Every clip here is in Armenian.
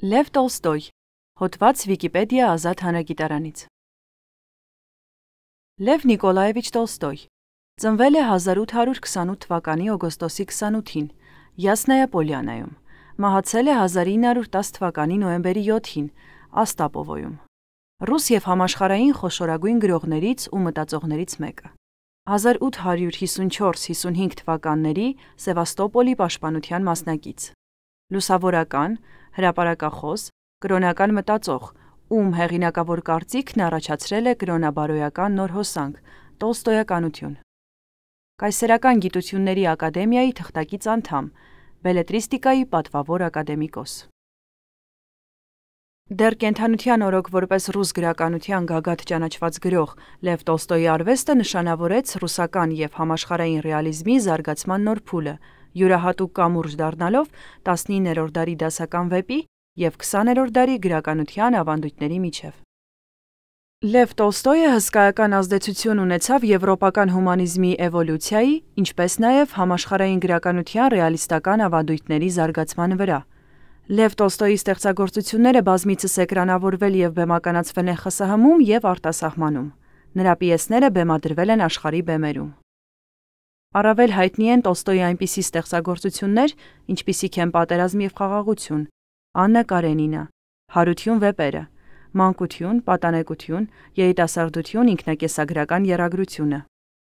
Լև Տոլստոյ, հոդված Վիկիպեդիա ազատ հանրագիտարանից։ Լև Նիկոլաևիչ Տոլստոյ ծնվել է 1828 թվականի օգոստոսի 28-ին Յասնայա Պոլյանայում, մահացել է 1910 թվականի նոյեմբերի 7-ին Աստապովոյում։ Ռուս և համաշխարհային խոշորագույն գրողներից ու մտածողներից մեկը։ 1854-55 թվականների Սևաստոպոլի պաշտպանության մասնակից։ Լուսավորական, հրապարակախոս, կրոնական մտածող, ում հեղինակավոր կարծիքն առաջացրել է կրոնաբարոյական նոր հոսանք՝ տոլստոյականություն։ Կայսերական գիտությունների ակադեմիայի թղթակից անդամ, բելետրիստիկայի պատվավոր ակադեմիկոս։ Դեռ կենդանության օրոք որպես ռուս գրականության գագաթ ճանաչված գրող Լև Տոլստոյի արվեստը նշանավորեց ռուսական և համաշխարհային ռեալիզմի զարգացման նոր փուլը, յուրահատուկ կամուրջ դառնալով 19-րդ դարի դասական վեպի և 20-րդ դարի գրականության ավանդույթների միջև։ Լև Տոլստոյը հսկայական ազդեցություն ունեցավ եվրոպական հումանիզմի էվոլյուցիայի, ինչպես նաև համաշխարհային գրականության ռեալիստական ավանդույթների զարգացման վրա։ Լև Տոլստոյի ստեղծագործությունները բազմիցս էկրանավորվել և բեմականացվել են ԽՍՀՄ-ում և արտասահմանում։ Նրա պիեսները բեմադրվել են աշխարհի բեմերում։ Առավել հայտնի են Տոլստոյի այնպիսի ստեղծագործություններ, ինչպիսիք են «Պատերազմ և խաղաղություն», «Աննա Կարենինա», «Հարություն» վեպերը, «Մանկություն», «Պատանեկություն», «Երիտասարդություն», ինքնակենսագրական եռագրությունը,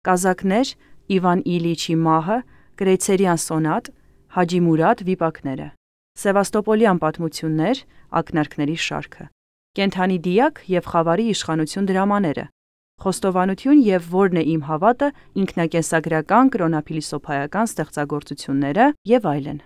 «Կազակներ», «Իվան Իլիչի մահը», «Կրեյցերյան սոնատ», «Հաջի Մուրադ» վիպակները, «Սևաստոպոլյան պատմություններ», ակնարկների շարքը, «Կենդանի դիակ» և «Խավարի իշխանություն» դրամաները, «Խոստովանություն» և «Որն է իմ հավատը» ինքնակենսագրական կրոնափիլիսոփայական ստեղծագործությունները և այլն։